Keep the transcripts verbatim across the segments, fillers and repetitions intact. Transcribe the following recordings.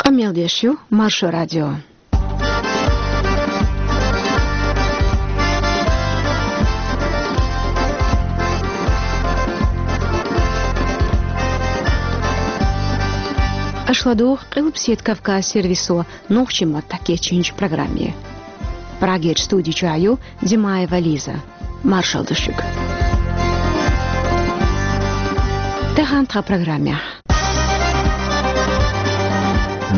Къамел деш ю Маршо радио. Аша ладугӀу Къилбаседа Кавказ сервисо нохчийн маттахь кечйинчу программе. Прагерчу студи чохь ю Димаева Лиза. Маршалла ду шуьга. Тахана тхан программехь.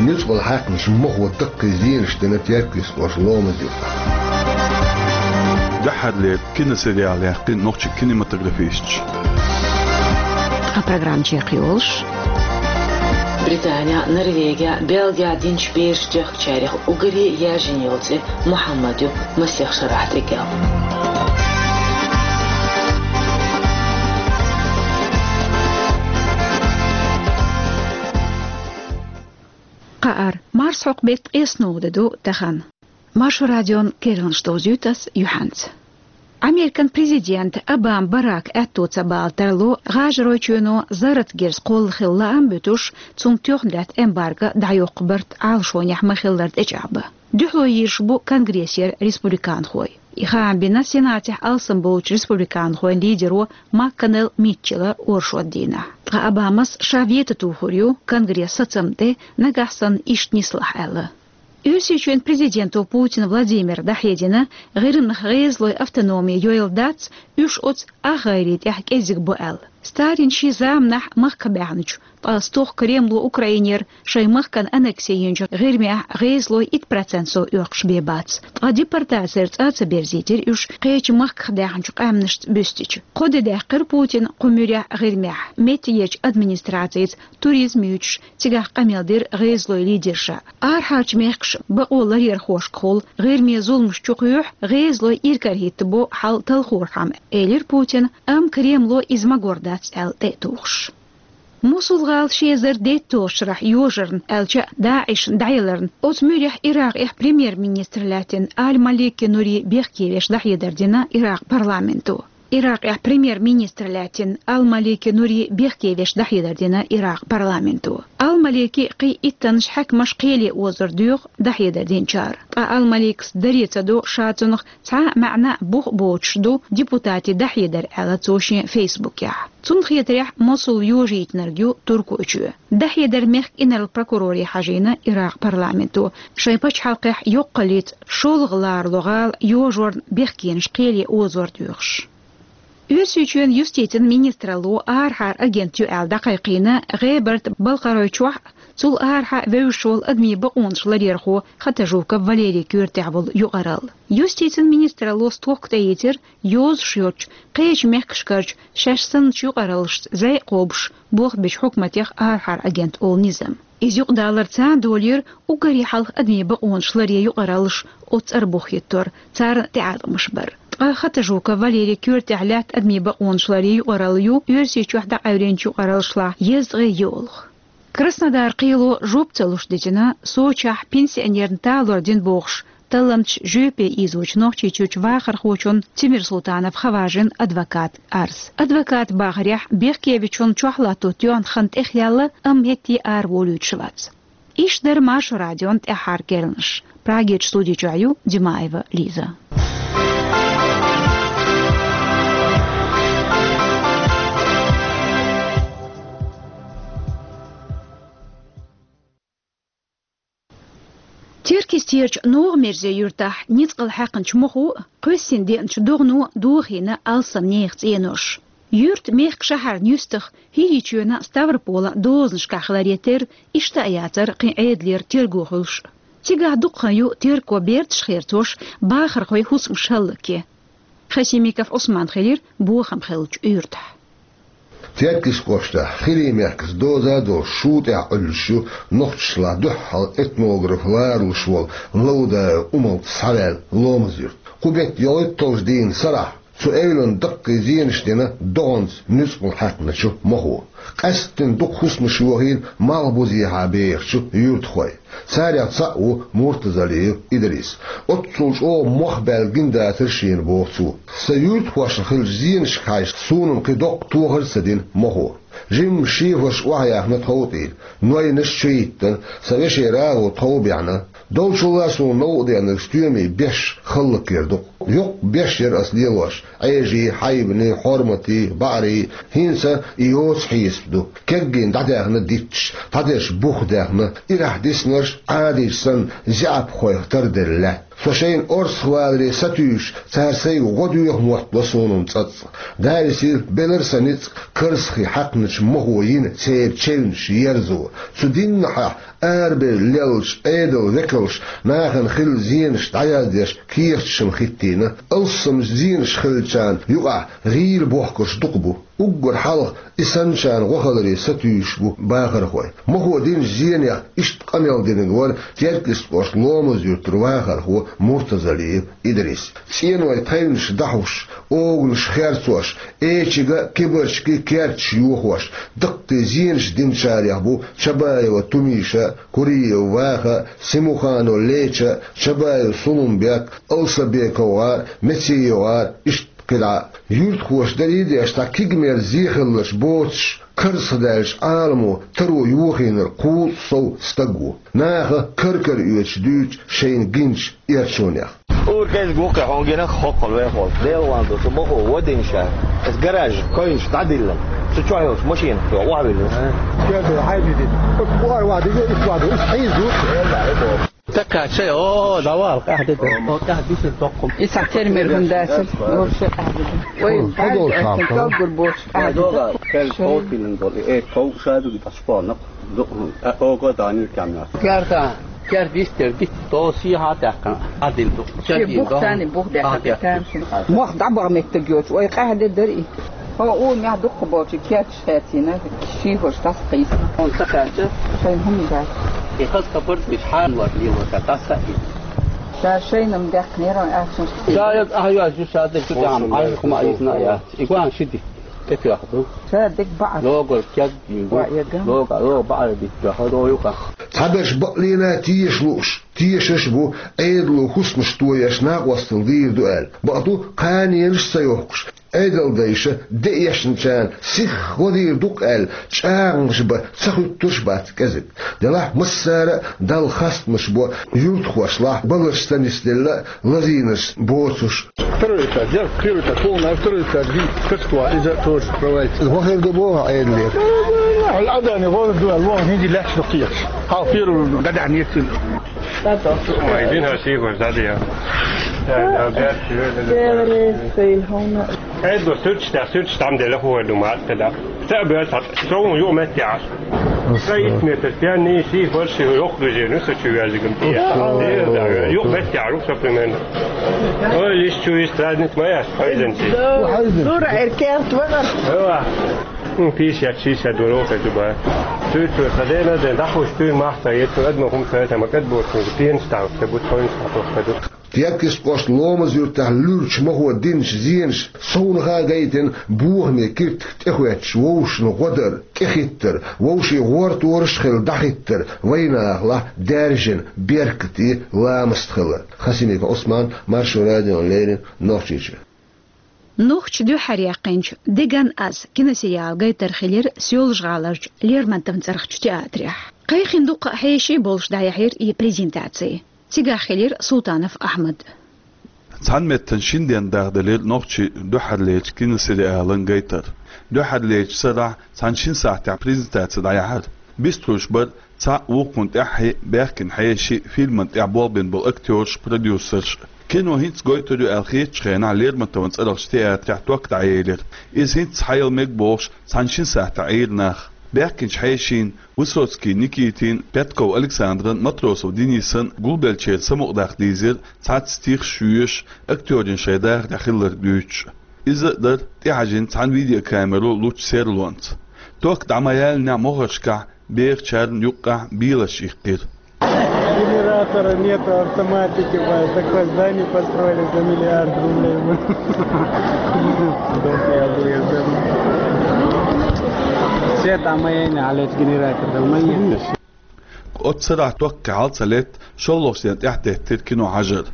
Нуьцкъала хьаькхначу мохо даккхий зенаш дина Теркйист-Оьрсийчоьнан Ломаз-Юьртахь. Дуьххьарлера киносериал яьккхина нохчийн кинематографисташа. Ткъа программа чекхйолуш. Британехь, Норвегехь, Бельгехь динчу бераш дехкачарех уггаре яьржина йолу цӀе Мухьаммад ю, масех шарахь тӀекӀел. Кхаара, марсхьокху беттан ткъеснолгӀа де ду тахана. Маршо радион керланаш довзуьйту ас юьхьанца. Американ президент Обама Барака аьтто ца бала тарло ГӀажаройчоьно зарратан герз кхолла хила лаам а буьтуш, цунна тоьхна лаьтта эмбарго дӀайоккху барт Ӏалашонехь ма-хиллара тӀечӀагӀбан. Дуьхьало йийраш бу Конгрессера республиканхой. И хаам бина Сенатехь алсам болчу республиканхойн лидеро МакКоннелл Митчелла оршот дийнахь. Ткъа Обамас ша вето тухур ю Конгресс сацам тӀе, нагахь санна иштта нислахь аьлла. Оьрсийчоьнан президенто Путин Владимира дӀахьедина, гӀирмнах гӀезалойн автономи йойла дац, уьш оцу ах гӀайре тӀехь кӀезиг бу аьлла. Сталина шен заманахь махках баьхначу, ткъа стохка Кремло Украинера шайн махкана аннекси йинчу гӀирмехь гӀезалойн итт процент сов оьккхуш бен бац. Ткъа депортацера цӀа а ца берзийтира уьш, кхечу махках даьхначу къаьмнашца буьстича. Кхо де даьккхира Путина кху муьрехь гӀирмехь, меттигерчу администрацица туризм юьйцуш, цигахь къамел дира гӀезалойн лидерша. Арахьарчу мехкаша бакъо ларъярхошкахула гӀирме зуламаш чу кхоьхьу, гӀезалой иракарахӀиттабо хьал талхорхьама, элира Путина, амма Кремло иза магор дац аьлла тӀе а тухуш. Мусул-гӀала ши эзар дейтталгӀачу шарахь йожарна, аьлча а ДАИШ-на дӀаяларна, оцу муьрехь Иракъехь премьер-министр лаьттина Аль-Малики Нури бехке веш дӀахьедар дина Иракъ парламенто. Иракъехь премьер-министр лаьттина Ал-Малики Нури бехке веш дӀахьедар дина Иракъ парламенто. Ал-Малики кхин иттаннаш хьаькамаш кхеле озор доьху дӀахьедар динчара. Ткъа Ал-Маликас даре ца до, ша цунах цхьа а маьӀна а бух а боцуш ду депутатийн дӀахьедар, аьлла цо шен фейсбукехь. Цунна хетарехь, Мусул йожийтинарг ю Туркойчоь. ДӀахьедар мехкан инарла прокуроре хьажийна Иракъ парламенто, шайн пачхьалкхехь йоккхаллица шолгӀа ларало гӀала йожорна бехкенаш кхеле озор доьхуш. Оьрсийчоьнан юстицин министралло арахьара агент ю аьлла дӀакхайкхийна ГӀебарта-Балкхаройчохь а, цул арахьа а вевзаш волу адамийн бакъонаш ларъярхо Хатажуков Валерий коьртехь волу юкъаралла. Юстицин министралло стохка тӀеийцира йозуш йоцчу, кхечу мехкашкарчу шаьш санначу юкъараллашца зӀе а кхобуш, болх бечу хьукматех арахьара агент олу низам. Иза юкъадалар царна долийра уггаре хьалха адамийн бакъонаш ларъян юкъараллаш оцу цӀарах бух хӀиттор, царна тӀеӀаткъамаш бар. Ткъа Хатажуков Валерий коьртехь лаьтта адамийн бакъонаш ларъян юкъаралла ю Оьрсийчохь дӀакъевлинчу юкъараллашлахь езткъе йолах. Краснодар кхело жоп ца луш дитина Сочехь пенсионерна талор дина бохуш, талламчаш жоьпе ийзочу Нохчийчуьрчу вахархочун Тимирсултанов Хаважин адвокатан арз. Адвокатан бахарехь, бехкевечун чохь латто тоьхна хан тӀехъяьлла, амма хӀетте араволуьйтуш вац. Иштта дара Маршо радион тӀаьххьара керланаш. Прагерчу студи чохь ю Димаева Лиза. Теркйистерчу НогӀа-Мерзе юьртахь ницкъала хьаькхначу мохо а, кхоьссина деанчу догӀано а дохийна алсам нехан цӀенош. Юьртан мехкан-шахьаран юьстах, ХӀирийчоьнан, Ставрополан дозанашкахь хиларе терра, иштта а яцара кхин Ӏедалера терго хуьлуш. Цигахь дукха хан ю терко берташ херцош, бахархойн хӀусамаш хӀаллакъе. Хасимиков Ӏусман хилира бохам хиллачу юьртахь. Теркйист кӀоштахь, ХӀирийн мехкаца доза а долуш, шу тӀехь Ӏуьллуш ю нохчашлахь дуьххьал этнограф ларалуш волу Лаудаев Умалт схьаваьлла Ломаз-Юьрт. Кху беттан ялхитталгӀачу дийнан сарахь цу эвлана даккхий зенаш дина догӀанца нуьцкъала хьаькхначу мохо. Къаьсттина дукха хӀусамаш йохийна малхбузехьа бехачу юьртахойн. Царех цхьаъ ву Муртазалиев Идрис. Оццул чӀогӀа мох баьлла гина дацара шена, боху цо. Сан юьртахошна хиллачу зенашка хьаьжча, суна-м кхин доккха тохар а ца дина мохо. Жимма шехош охьаяьхна тховтӀийла, нойнаш чуйиттина, сан вешера агӀо тхов бехьна. Долчулла суна новкъа денарг стоьмий беш халлакер ду-кх. Йоккха беш яра ас лелош, Ӏежий, хьайбаний, хьорматий, баӀарий, хӀинца и йоца хьесап ду. Кеггийна дӀадаьхна дитташ, дӀадерш бух даьхна, ирахь диснарш Ӏадийча санна зеӀапхойх тарделла лаьтта. Со шайна орцах валаре сатуьйсуш, цара сайга гӀо доьху моттало суна цӀацкъа. Дала висийла, белара сан ницкъ Карсахе хьаькхначу мохо йина церан чевнаш ерзо. Цу дийнахьа арабевлла леллачу Ӏедалан векалша нахана хилла зенаш дӀаяздеш кехаташ-м хӀиттийна. Алссамчу зенаш хиллачарна юкъахь гӀийла бохкурш дукха бу. Уггар хьалха и санначарна гӀо хиларе сатуьйсуш бу бахархой. Мохо динчу зенех иштта къамел динарг вара Теркйист кӀоштан Ломаз-Юьртара вахархо Муртазалиев Идрис. ЦӀенойн тхевнаш дахьош, оганаш херцош, эчига а, кибарчига а керташ йохош, даккхий зенаш динчарех бу Чабаева Тумиша, Куриев Ваха, Симуханов Леча, Чабаев Сулумбек, Алсабеков ГӀар, Мециев ГӀар, иштта кхидӀа а. Юьртахоша дарий а деш, цхьа кегамерза зе хилларш боцуш, карзахдаьллачу Ӏаламо таро йохийнарг кхузткъа сов стаг ву. Наха кар-кара оьцуш дуьйцу шайна гиначу эрчонех. Ур кӀезиг ву кхин хьуна гина, хӀоккхул вехула. Делан ду, цу мохо вадийна ша. Ас гараж койнаш дӀадиллина. Цу чохь йолчу машинах чу охьавиллина. Кхин хьайбидина. Оцу кхуар вадига, иш вадига, иш хьийза ву. Така чай, о, давай, къаьхьа де. О, къаьхьа дисина доккхум. Исхьа термер хӀунда дац, вообще къаьхьа де. Ой, хӀун, хӀун долуш нах, хӀун? Калгур бош, къаьхьа де. Дога, кел ков тиллина болу, э, ков шадуги ташпонок. Ду, э, ого дани камна. Керта, керта дистер, дит, то сиха тахкан, адил ду. Ши бух тани, бух дехка, тани ши. Мох дӀабаха меттиг йоцу, ой, къаьхьа де дари. Хьо у мех дукха болчу керташ хецийна, шийхош тас кхийсна. Он ца кхаьча? Шайн хӀума дац. И хас капар бич хьан вар лило ца тас а и. Ша шайнам дехнера, ахчаш. Ша я ахьяш ша де чу дам, ай хӀума айсна я. И гуан шиди. Эпиах ду. Ша дек баъ. Логор кяг ю. Ва я гам. Лога, ло баъ бит ду. Хадо юка. Цхьаберш бакълийна теш лууш, тешаш бу, Ӏедало хӀусамаш тоеш накъостал дийр ду аьлла. Бакъду, кханенаш ца йохкуш, Ӏедалдайша деэшначарна сихха гӀо дийр ду-кх аьлла, чӀагӀанаш бан ца хуьттурш бац кӀезиг. Делахь массара а Далла хастамаш бо юьртахошлахь баларш ца нисделла а, лазийнарш боцуш. Второй этаж, я первый этаж, полный, а второй этаж, вид, как что, из-за того, что провалится. ХӀун хир ду боху Ӏедалера? Хьал Ӏадани гӀо ду, лон хӀинзи лаьтташ ду кхеташ. Хьал первый гадахь нет. Ой, дин хьа сийхош дадия. Эдо суьрч тӀе, суьрч там делахь хӀу ду мат када. Ца бер ца, шоун ю меттяш. Ца ит метр пьяни сийхош йохлужи, ну, со чу вязигам ти. Юх меттяш, со примерно. Ой, лиш чу из праздник моя, хайзен ти. Дура, эркелт вагар. Эва. М, пятьдесят, шестьдесят дорога зуба. Туй, туй, хадена, ден, дахуш, туй, махта, ет, туй, одну хум, туй, там, как будто, пьян стал, как будто он стал, как будто. Теркйист кӀоштан Ломаз-Юьртахь луьрачу мохо динчу зенаш совнаха гайтина бохаме киртах тӀехӀоьттуш вовшашна гӀо дар, тӀехӀиттар, вовшийн гӀортораш а хилла дӀахӀиттар, вайнахалахь даьржина беркате ламаст хилар. Хасимиков Ӏусман, Маршо радиона леррина, Нохчийчоь. Нохчаша дуьххьара яьккхинчу «Деган аз» киносериал гайтар хилира Соьлжа-ГӀаларчу Лермонтовн цӀарахчу театрехь. Кхайкхина дуккха а хьеший болуш дӀаяьхьира и презентаци. Цигахь хилира Султанов Ахьмад. Цхьана меттана шина денна дахделира нохчийн дуьххьарлерчу киносериалан гайтар. Дуьххьарлерчу сарахь цхьана шина сахьтехь презентаци дӀаяьхьира. Бистхуьлуш бара цхьаъ вукхунна тӀаьххье баьхкина хьеший, фильман тӀехь болх бина болу актёраш, продюсерш. Кино хӀинца гойтур ю аьлла хетачу хенахь Лермонтовн цӀарахчу театрехь ток дӀаелира. Иза хӀинца схьаяла мега бохуш, цхьана шина сахьтехь Ӏийра нах. Баьхкинчу хьешийн, Высоцкий Никитин, Пятков Александран, Матросов Денисан гулбеллачеран самукъадаккха дийзира цхьацца стихаш а, шоьш а, актёрийн шайн дахарехь хилларг дуьйцуш. Иза а дара тӀехьажийна цхьана видеокамеро лучу серлонца. Ток дӀа ма яьллинехь мохаршкахь бехачарна юккъехь беларш иккхира. Генератора нету, автоматики, блядь, такое здание построили за миллиард рублей. Свет а моей не, а, блядь, генератор, да, моей. Оццу сарахь ток хьал ца летта, шолгӀачу дийнахь тӀаьхьатеттира кино хьажар.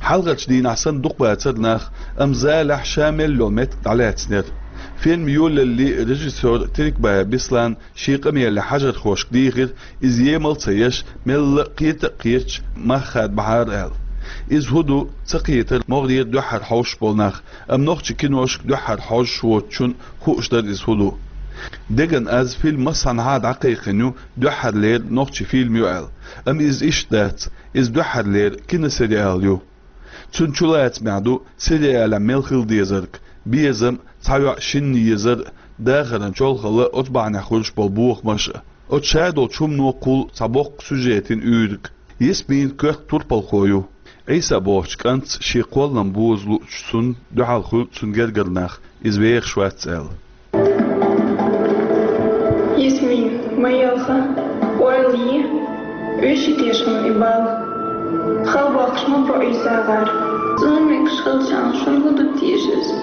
Хьалхарчу дийнахь санна дукха бацара нах, амма залехь ша мел йолу меттиг дӀалаьцнера. Фильм йолалле режиссёр Терекбаев Беслан шен къамелехь хьажархошка дийхира, иза емал ца еш, мелла а кхета а кхеташ мах хадабахьара аьлла. Иза хӀун ду ца кхетара могӀарера дуьххьара хьовсуш болу нах, амма нохчийн киношка дуьххьара хьожуш воцучунна хууш дара иза хӀун ду. Деган аз фильм массанхьа а дӀакхайкхина ю, дуьххьарлера нохчийн фильм ю аьлла. Амма иза иштта дац, иза дуьххьарлера киносериал ю. Цуьнан чулацамехь ду сериалехь мел хила дезарг: безам, цхьа йоӀ шинна езар, дахаран чолхалла, оцу бахьанехь хуьлуш болу бохамаш а. Оцу шадолчу хӀумано кхул цхьа боккха сюжетан уьйриг. Ясмин коьрта турпалхо ю. Ӏийса бохучу кӀантаца шен кхоллам боза луучу цунна дуьхьал хуьлу цуьнан гергара нах, иза вехаш вац аьлла. Ясмин, ма елха, ойла е, уьш и тешам и бала. Хала боккхуш ма бу Ӏийса гӀар. Цунна мегаш хилчахьана шуна хӀун ду теша иза?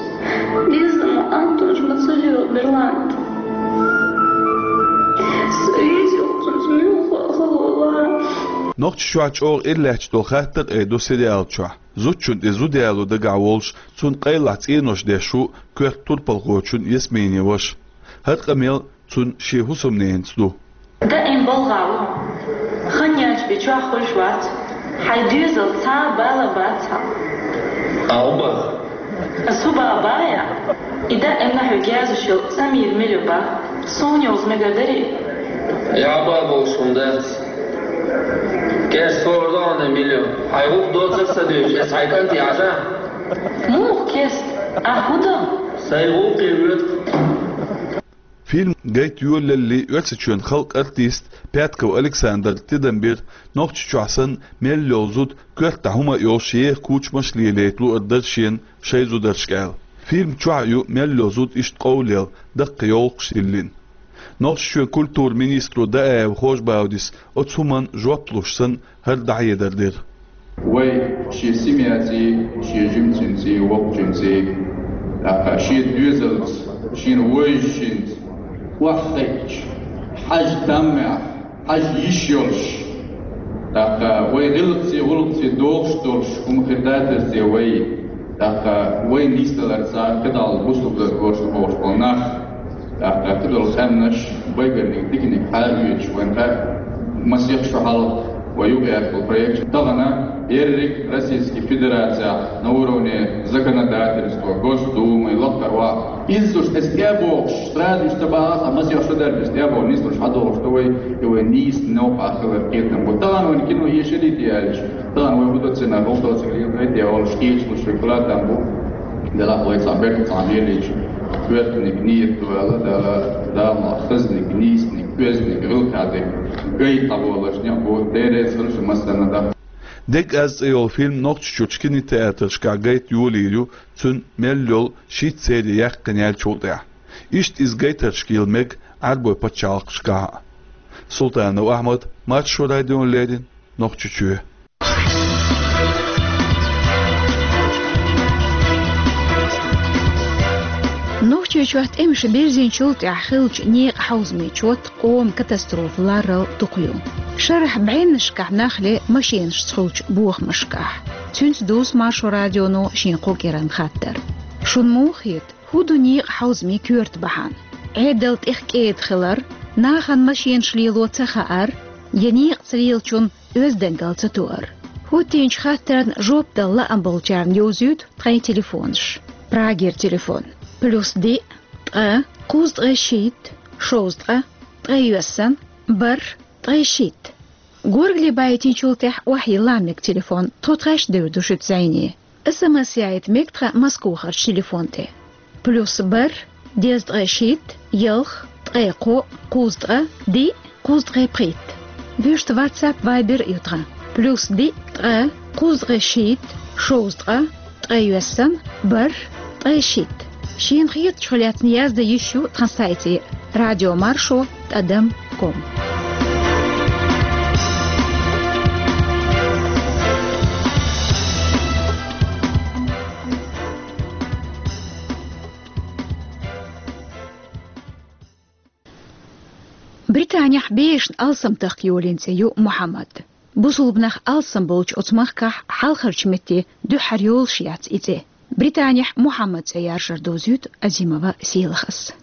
Деза ма Антонаш ма ца лела Берлант. Со веза юкъа цунца муьлха хала вала. Нохчийчохь чӀогӀа ира лаьтташ долу хаттар а ду сериал чохь. Зудчунна тӀе зуда яло дагахь волуш, цунна къайлахь цӀенош деш ву коьрта турпалхочун Ясминин ваша. ХӀара къамел цуьнан шен хӀусамненца ду. Даим балгӀа ву. Хан яьлча бен чохь хуьлуш вац. Хьайн доьзал цхьа а бала бац хьан. Алба. Ас хӀун бан бая? И даимна хьоьга язъеш йолу Самир мила ю бан? Суна йовза мегар дарий? Яба болуш хӀума дац. Кест хӀора догӀана мила ю. Хьайн гӀуллакх доцург ца дуьйцуш, ас хьайн кӀанте Ӏажа? Муха кест? Ахь хӀун до? Сайн гӀуллакхе воьду. Фильм гайта йолалле Оьрсийчоьнан халкъан артист Пятков Александра тидам бира, Нохчийчохь санна мел йолу зуда коьртахь хӀума а йолуш еха кучамаш а лелайта луъур дара шена шайн зударшка аьлла. Фильм чохь а ю мел йолу зуда иштта къовлаелла, даккха йовлакхаш йиллина. Нохчийчоьнан культуран министро Даев Хож-Баудис оцу хӀуманна жоп луш санна, хӀара дӀахьедар дира. Вай шен семьяций, шен жимцинций, воккхачуьнций, тӀаккха шен доьзалца, шена вевзачуьнца охьахиъча, хьажа таммехь, хьажа йиш йолуш, тӀаккха вай гӀиллакхций, гӀуллакхций догӀуш долуш хӀума хир дацара те вай, тӀаккха вайна нисдаларца кхидӀа бусулба дозуш бохуш болу нах, тӀаккха кхидолу къаьмнаш, байгарниг, диканиг хьаоьцуш вайна хаьа, масех шо хьалха вай юкъаэцна проект. Тахана ерриг Российский Федерацехь на уровне законодательства, Госдумы, лакхара ваха. Иза уьш эс тӀе а бохуш, сразу уьш ца бахахь, масех шо даьлла уьш тӀе а бохуш, нислуш хьадогӀуш ду вай, и вай нийса новкъахь хилар кхетам бу. Тахана вайна кино ешаллий те аьлча, тахана вай хӀун до церан, хӀун до церан лелайта олуш кхеташ луш вай кхоллам бу. Делахь вай цхьа бехк цхьа лелийча, коьртаниг нийят ду аьлла, Дала, Дала ма хазниг, нийсниг, оьзниг, гӀиллакхехь дерг гайта болуш некъ бу, Дела реза хуьлда шун массарна а. «Дег аз» цӀе йолу фильм Нохчийчуьрчу кинотеатрашкахь гайта йолийла ю, цуьнан мел йолу шийтта серия яьккхина яьллачул тӀаьхьа. Иштта иза гайтаршка йила мега Ӏаьрбойн пачхьалкхашкахь а. Султанов Ахьмад, Маршо радиона леррина, Нохчийчоь. Нохчийчохь тӀемаш бирзинчул тӀаьхьа хиллачу некъан хьовзамийн чот къоман катастрофа ларал дукха ю. Шарахь бӀеннашкахь нах ле машенашца хуьлучу бохамашкахь. Цуьнца дувц Маршо радионо шен кху кӀиранан хаттар. Шуна муха хета, хӀун ду некъан хьовзамийн коьрта бахьана? Ӏедал тӀех кӀеда хилар, нахана машенаш лело ца хаар, я некъаца лелачунна оьздангалла ца тоар? ХӀоттийначу хаттарна жоп дала лаам болчарна йовзуьйту тхайн телефонаш. Прагера телефон: плюс диъ, ткъа, кхузткъе шийтта, шовзткъа, ткъе йоьссан, бархӀ, ткъе шийтта. Горгали байтинчул тӀаьхьа охьайилла мега телефон, тхо тхаьш девр ду шуьца зӀене. СМС яийта мега тхан Москвахарчу телефон тӀе. Плюс бархӀ, дезткъе шийтта, ялх, ткъе кхоъ, кхузткъа, диъ, кхузткъе пхийтта. Вуьшта WhatsApp, Viber ю тхан. Плюс диъ, ткъа, кхузткъе шийтта, шовзткъа, ткъе йоьссан, бархӀ, ткъе шийтта. Шена хетачух лаьцна яздан йиш ю тхан сайте: радиомаршо тӀадам ком. Британехь бешана алсамтахка йолийна цӀе ю Мухьаммад. Бусулбанах алсам болчу оцу махкахь хьалхарчу метте дуьххьара йолуш яц и цӀе. Британехь Мухьаммад цӀе яржар довзуьйту Азимова Сийлахас.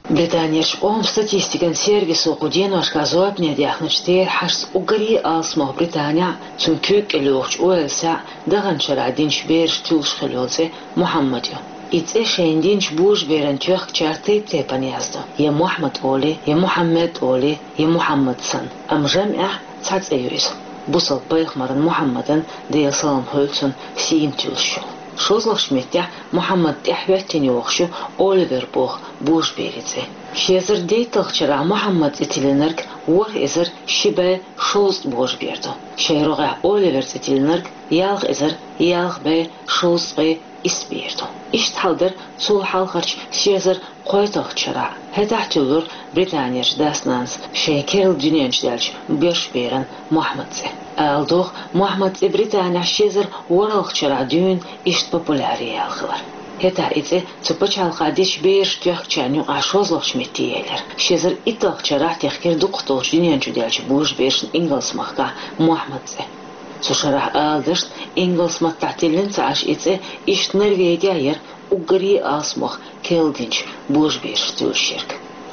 Британерчу къоман статистикан сервисо кху деношкахь зорбане даьхначу терахьашца уггаре а алсамох Британехь, цуьнан куьйга кӀел йогӀучу Уэльсехь даханчу шарахь динчу берашна туьллуш хилла йолу цӀе Мухьаммад ю. И цӀе шайна динчу божаберан тоьхкачара тайп-тайпана яздо: я Мохьмад олий, я Мухьаммед олий, я Мухьаммад санна. Амма жамӀехь цхьа цӀе ю иза. Бусалба пайхамаран Мухьаммадан, Делан салам хуьлда цунна, сийна туьллуш йолу. ШозлагӀчу меттехь Мухьаммад тӀаьхьахӀоьттина йогӀуш ю Оливер боху божаберан цӀе. Ши эзар дейтталгӀачу шарахь Мухьаммад цӀе тиллинарг ворхӀ эзар ши бӀе шовзткъа божабер ду. Шайн рогӀехь Оливер цӀе тиллинарг ялх эзар ялх бӀе шовзткъе исс бер ду. Иштта хьал дара цул хьалхарчу ши эзар кхойтталгӀачу шарахь. ХӀетахь туьллура Британерчу дас-нанас шайн керла дуьнен чу даьллачу боьрша беран Мохьмад цӀе. Ала догӀу, Мохьмад цӀе Британехь ши эзар ворхӀалгӀачу шарахь дуьйна иштта популяр яьлла хилар. ХӀетахь и цӀе цу пачхьалкхехь дечу берашна тоьхкачарна юкъахь шозлагӀчу метте елира. Ши эзар итталгӀачу шарахь техкира дукхах долчу дуьнен чу даьллачу божаберашна Ингалс-махкахь Мохьмад цӀе. Цу шарахь, ала дашна, ингалс маттахь тиллина ца Ӏаш и цӀе, иштта Норвегехь яра уггаре а алсамох керла динчу божаберашна туьллуш ерг.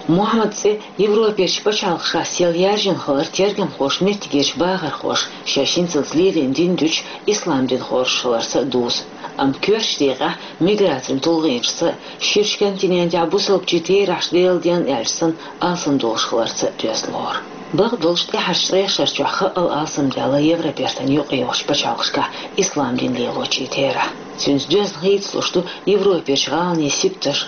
Мухьаммад цӀе Европерчу пачхьалкхашкахь сел яржийна хилар тергамхоша меттигерчу бахархоша шаьш хӀинцалц лелийна дин дуьтуш ислам дин хоржуш хиларца а дузу. Амма коьртачу декъехь миграцин тулгӀенашца а, ширачу континентехь бусалбачийн терахьаш Делан денна аьлча санна алсамдолуш хиларца а доьзна лору. Бакъдолуш тӀаьхьарчу ткъех шарчохь хаа алсамдаьлла Европертан юкъайогӀучу пачхьалкхашкахь ислам дин лелочийн терахь. Цуьнца доьзна хийцалуш ду Европерчу гӀаланийн сибаташ,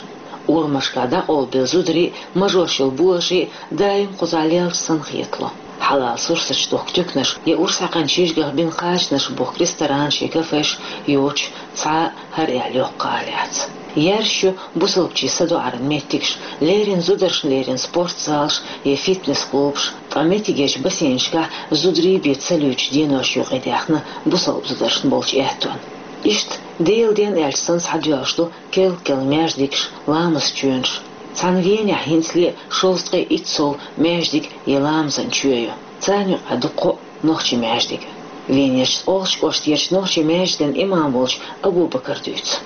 урамашкахь дӀакъовлабелла зударий а, мажош йолу божарий а даим кхузахь лелча санна хетало. Хьалал сурсаташ дохку туьканаш я урс хьаькхначу жижигах бина кхачанаш бохку ресторанаш я кафеш йоцуш цхьа а хӀара аьлла йоккха гӀала яц. Яржаш ю бусалбачийн садоӀаран меттигаш, леррина зударшна леррина спортзалаш я фитнес-клубаш, ткъа меттигерчу бассейнашкахь зударий бен ца луьйчу деношна юкъадаьхна бусалба зударшна болчу аьттонна. Иштта Делан денна аьлча санна схьадоьллуш ду керла-керла маьждигаш, ламаз чоьнаш. Цхьана Венехь хӀинцале а шовзткъе итт сов маьждиг я ламазан чоь ю. Царна юкъахь ду кхоъ нохчийн маьждиг. Венерчу ткъолгӀачу кӀоштарчу нохчийн маьждиган имам волчу Абу-Бакара дуьйцу.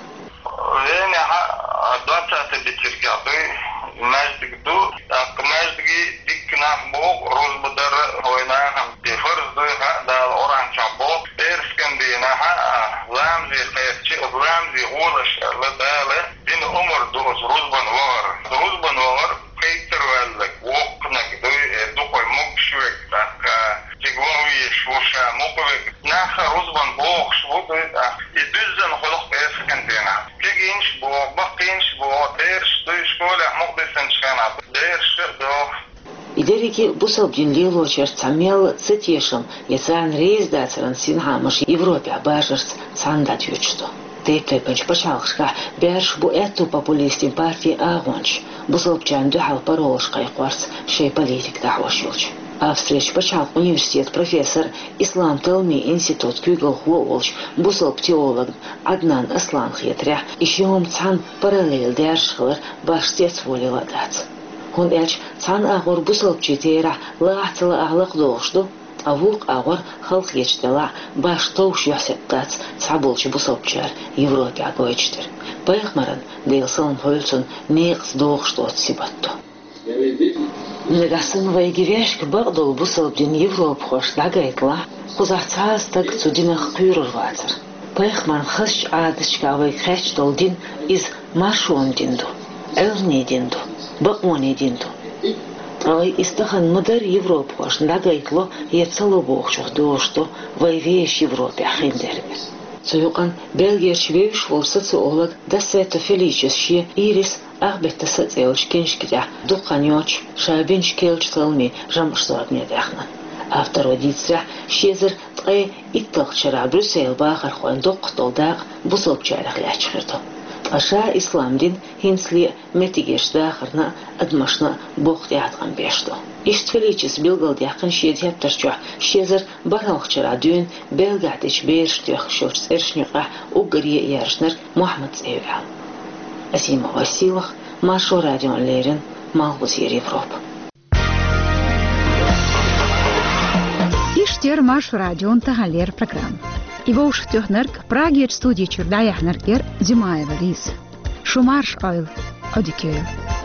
Венехь двадцатый бетелкехь дуй маьждиг ду. ТӀаккха маьждиге дикка нах богӀу, рузба дар а, вайн нахана и фарз дуй хаьа, Дала Къуръан чохь боху, пӀераскан дийнахь а ламазе кхаьчча, оцу ламазе гӀолаш аьлла Дала дина омра ду оцу рузбан вахар. Рузбан вахар кхайттар ваьлларг, воккханиг дуй, э, дукха могуш верг, тӀаккха цига ван везаш ву ша мукъа верг. Нах а рузбан богӀуш бу дуй, тӀаккха и дуьззина хуьлу-кх пӀераскан дийнахь. Кегийнаш а богӀу, баккхийнаш а богӀу, бераш дуй, школехь мукъадисинчу хенахь бераш а догӀу. И дерриге бусалба дин лелочуьра цхьа мелла а цатешам я царна реза дацаран синхаамаш Европехь баржарца цхьаьна дӀатоьхуш ду. Тайп-тайпанчу пачхьалкхашкахь баьржаш бу аьтту популистийн партийн агӀончаш, бусалбачарна дуьхьал паролаш кхайкхорца шайн политика дӀахьош йолчу. Австрерчу пачхьалкхан университетан профессор, ислам талламийн институтан куьйгалхо а волчу бусалба теологна Ӏаднан Асланна хетарехь, и ши хӀума цхьаьна параллель даьржаш хилар башха цецволийла а дац. ХӀунда аьлча цхьана агӀор бусалбачийн терахь лахьа ца лаахь лакхадогӀуш ду, ткъа вукху агӀор, халахеташ делахь а, башха товш юьхь-сибат дац цхьаболчу бусалбачара Европехь гойтуш дерг. Пайхамаран, Делан салам хуьлда цунна, некъаца догӀуш доцу сибат ду. Нагахь санна вайга вешка бакъдолу бусалба дин европахошна дӀагайталахь, кхузахь цхьа а стаг цу динах кхоьрур вацара. Пайхамаран хазачу Ӏадаташкахь вайга хеташ долу дин, иза маршонан дин ду, Ӏилманан дин ду, бакъонан дин ду. Ткъа вай иза тахана ма-дарра европахошна дӀагайтало я ца ло бохучух дозуш ду вай вешан Европехь хиндерг. Цу юкъана Бельгерчу вевзаш волу социолог Дассетто Феличес шен «Ирис, ах беттаса» цӀе йолчу киншка тӀехь дукха хан йоццуш ша бинчу керлачу талламийн жамӀаш зорбане даьхна. Авторо дийцарехь, ши эзар ткъе итталгӀачу шарахь Брюсселан бахархойн доккхах долу дакъа бусалбачарех лаьтташ хир ду. Ткъа ша ислам дин хӀинцале а меттигерчу дахарна а, адамашна а боккха тӀеӀаткъам беш ду. Иштта Феличес билгалдаьккхина шен тептар чохь ши эзар бархӀалгӀачу шарахь дуьйна Бельгехь дечу берашна тоьхкаш йолчу цӀерашна юкъахь уггаре а яржинарг Мохьмад цӀе ю аьлла. Азимова Сийлаха, Маршо радиона леррина, Малхбузера Европа. Иштта яра Маршо радион таханлера программа. И вовшахтоьхнарг, Прагерчу студи чуьра дӀаяьхьнарг яра Димаева Лиза. Шу марша Ӏойла, Ӏодика йойла.